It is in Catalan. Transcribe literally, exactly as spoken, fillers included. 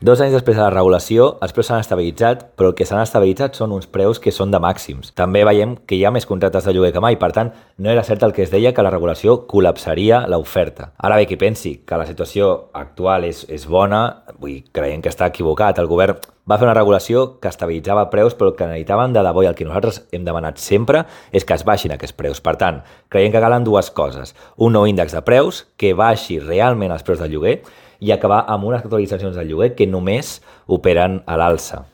Dos anys després de la regulació, els preus s'han estabilitzat, però el que s'han estabilitzat són uns preus que són de màxims. També veiem que hi ha més contractes de lloguer que mai, per tant, no era cert el que es deia que la regulació col·lapsaria l'oferta. Ara bé, qui pensi que la situació actual és, és bona, vull dir, creiem que està equivocat. El govern va fer una regulació que estabilitzava preus, però el que necessitaven de debò i el que nosaltres hem demanat sempre és que es baixin aquests preus. Per tant, creiem que calen dues coses. Un nou índex de preus que baixi realment els preus del lloguer i acabar amb unes actualitzacions del lloguer que només operen a l'alça.